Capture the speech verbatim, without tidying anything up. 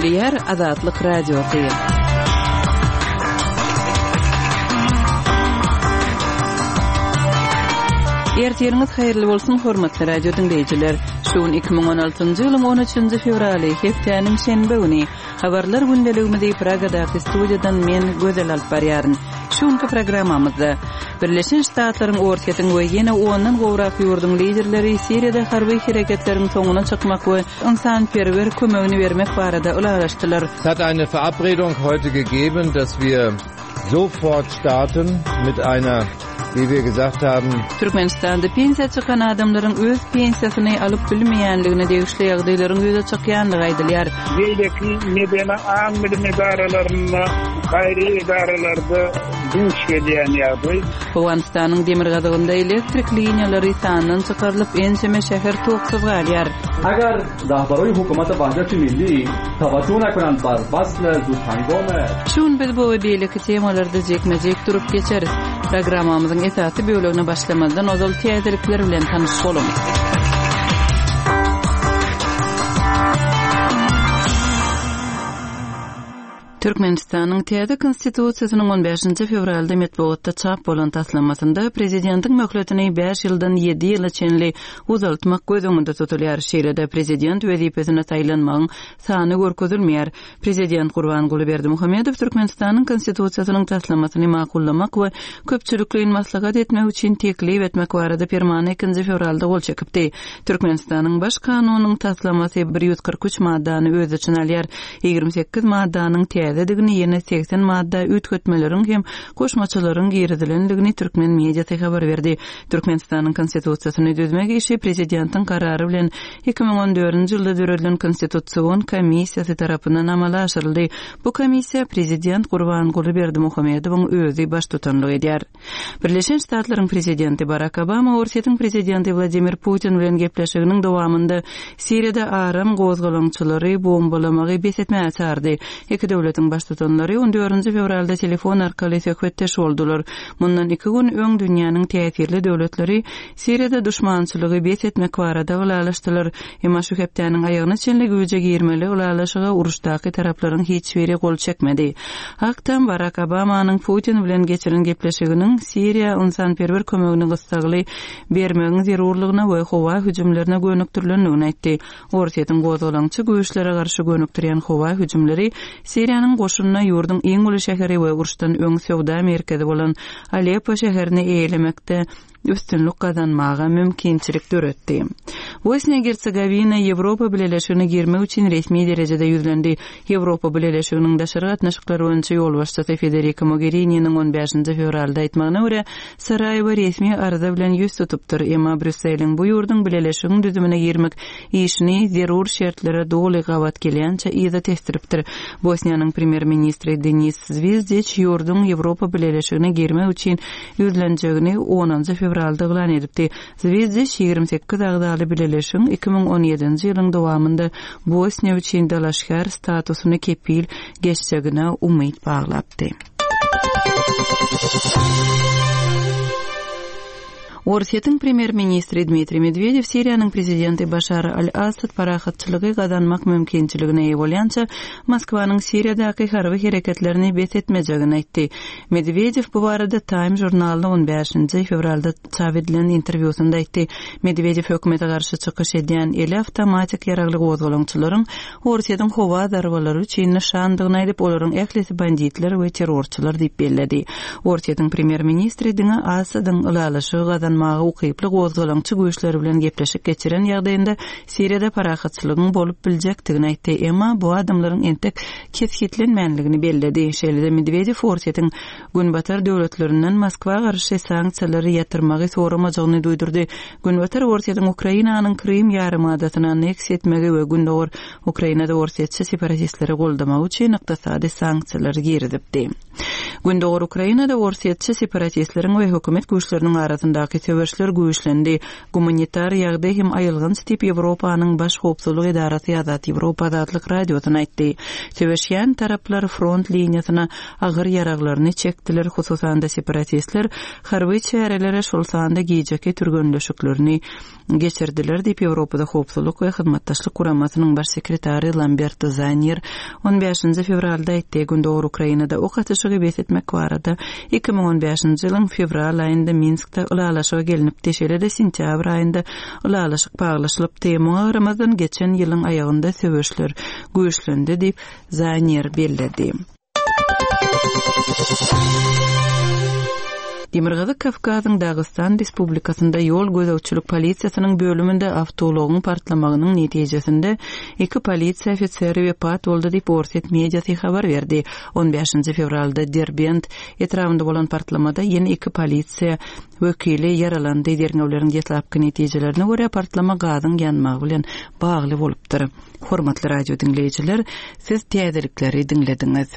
Gepleýär Azatlyk Radiosy. Ertiriňiz haýyrly bolsun, hormatly radio diňleýjiler. Şu gün iki müň on altynjy ýylyň on üçünji fewraly, hepdäniň şenbe güni. Habarlar gündeligimizi Pragadaky studiýadan men Gözel alyp barýaryn. Şu günki programmamyzda Birleşen Ştatlaryň, Orsýetiň we ýene ondan gowrak ýurduň liderleri Siriýada harby hereketleriň soňuna çykmak we ynsanperwer kömegini bermek barada ylalaşdylar. Es hat eine Verabredung heute gegeben, dass wir sofort starten mit einer, wie wir gesagt haben. Türkmenistanda pensiýa çykan adamlaryň öz pensiýasyny alyp bilmeýänligine degişli ýagdaýlaryň ýüze çykýandygy aýdylýar. Beýleki medeni aň-bilim edaralarynda, gaýry edaralarda duş gelýän ýagdaý. Owganystanyň demirgazygynda elektrik liniýalary sandan çykarylyp, ençeme şäher toksuz galýar. Agar rahbaroý hukumat Wahdati Milli tawajjuh nakunand bar wasl zudhangom. Şu gün biz bu we beýleki temalarda jekme-jek durup geçeris. Programmamyzyň esasy bölegine başlamazdan ozal täzelikler bilen tanyş boluň. Türkmenistanyň täze konstitusiýasynyň on bäşinji fewralda metbugatda çap bolan taslamasynda prezidentiň möhletini bäş ýyldan ýedi ýyla çenli uzaltmak göz öňünde tutulýar. Şeýle-de prezident wezipesine saýlanmagyň sany görkezilmeýär. Prezident Gurbanguly Berdimuhamedow Türkmenistanyň konstitusiýasynyň taslamasyny makullamak we köpçülikleýin maslahat etmek üçin teklip etmek barada permana ikinji fewralda gol çekipdi. Türkmenistanyň baş kanunynyň taslamasy bir ýüz kyrk üç maddany öz içine alýar. Ýigrimi sekiz maddanyň täzedigini, ýene segsen madda üýtgetmeleriň hem goşmaçalaryň girizilendigini türkmen mediasy habar berdi. Türkmenistanyň konstitusiýasyny düzmek işi prezidentiň karary bilen iki müň on dördünji ýylda döredilen konstitusion komissiýasy tarapyndan amala aşyryldy. Bu komissiýa prezident Gurbanguly Berdimuhamedowyň özi baştutanlyk edýär. Birleşen Ştatlaryň prezidenti Barack Obama Orsýetiň prezidenti Wladimir Putin bilen gepleşiginiň dowamynda Siriýada aram gozgalaňçylary bombalamagy bes etmäge çağırdy. Iki döwletiň baştutanlary on dördünji fewralda telefon arkaly söhbetdeş boldular. Mundan iki gün öň dünýäniň täsirli döwletleri Siriýada duşmançylygy bes etmek barada ylalaşdylar. Emma şu hepdäniň aýagyna çenli güýje girmeli ylalaşyga uruşdaky taraplaryň hiç biri gol çekmedi. Ak Tam Barack Obamanyň Putin bilen geçiren gepleşiginiň Siriýa ynsanperwer kömegini gyssagyly bermegiň zerurlygyna we howa hüjümlerine gönükdirilendigini aýtdy. Orsýetiň gozgalaňçy güýçlere garşy gönükdirýän howa hüjümleri Siriýanyň goşunyna ýurduň iň uly şäheri we uruşdan öň söwda merkezi bolan Aleppo şäherini eýelemekde üstünlik gazanmaga mümkinçilik döretdi. Bosniýa Hersegovina Ýewropa Bileleşigine girmek üçin resmi derejede ýüzlendi. Ýewropa Bileleşiginiň daşary gatnaşyklary boýunça ýolbaşçysy Federica Mogherini'niň on bäşinji fewralda aýtmagyna görä, Saraýewo resmi arza bilen ýüz tutupdyr. Emma Brýusseliň bu ýurduň bileleşigiň düzümine girmek işini zerur şertlere doly gabat gelýänçe yza testiripdir. Bosniýanyň premýer-ministri Denis Zvizdiç ýurduň Ýewropa Bileleşigine girmek üçin ýüzlenjegini onunjy fewralda yglan edipdi. Zvizdiç ýigrimi sekiz agzaly bileleşigiň iki müň on ýedinji ýylyň dowamynda Bosniýa üçin dalaşgär statusyny kepil geçjegine umyt baglapdy. Orsýetiň premýer-ministri Dmitriý Medwedew Siriýanyň prezidenti Başar al-Assad parahatçylygy gazanmak mümkinçiligine eýe bolýança Moskwanyň Siriýadaky harby hereketlerini bes etmejegini aýtdy. Medwedew bu barada Time žurnalynda on bäşinji fewralda çap edilen interwýusynda aýtdy. Medwedew hökümete garşy çykyş edýän eli awtomatik ýaragly gozgalaňçylaryň Orsýetiň howa zarbalary üçin nyşandygyny aýdyp, olaryň ählisi banditler we terrorçylar diýip belledi. Orsýetiň premýer-ministri diňe Assadyň ylalaşygy gazanmaga ukyply gozgalaňçy güýçleri bilen gepleşik geçiren ýagdaýynda Siriýada parahatçylygyň bolup biljekdigini aýtdy. Emma bu adamlaryň entek kesgitlenmänligini belledi. Şeýle-de Medwedew Orsýetiň Günbatar döwletlerinden Moskwa garşy sanksiýalary ýatyrmagy soramajagyny duýdurdy. Günbatar Orsýetiň Ukrainanyň Krym ýarymadasyny anneksiýa etmegi we Gündogar Ukrainada Orsýetçi separatistleri goldamagy üçin ykdysady sanksiýalary girizipdi. Gündogar Ukrainada Orsýetçi separatistleriň we hökümet güýçleriniň arasyndaky Söweşler güýçlendi. Gumanitar ýagdaý hem aýylganç diýip Ýewropanyň Baş howpsuzlyk edarasy Azat Ýewropa Azatlyk Radiosyna aýtdy. Söweşýän taraplar front liniýasyna agyr ýaraglaryny çekdiler, hususan-da separatistler harby çärelere, şol sanda gijeki türgenleşiklerini geçirdiler diýip Ýewropada Howpsuzlyk we Hyzmatdaşlyk Guramasynyň Baş sekretary Lamberto Zannier on bäşinji fewralda aýtdy. Gündogar Ukrainada ok atyşygy bes etmek barada iki müň on bäşinji ýylyň fewral aýynda Minskde ylalaşyga gelnipdi, şeýle-de sentýabr aýynda ylalaşyk baglaşylypdy. Muňa garamazdan geçen ýylyň aýagynda söweşler güýçlendi diýip Zannier belledi. Demirgazyk Kawkazyň Dagystan Respublikasynda ýol gözegçilik polisiýasynyň bölüminde awtoulagyň partlamagynyň netijesinde iki polisiýa ofiseri wepat boldy diýip Orsýet mediasy habar berdi. On bäşinji fewralda Derbent etrabynda bolan partlamada ýene iki polisiýa wekili ýaralandy. Derňewleriň deslapky netijelerine görä partlama gazyň ýanmagy bilen bagly bolupdyr. Hormatly radio diňleýjiler, siz täzelikleri diňlediňiz.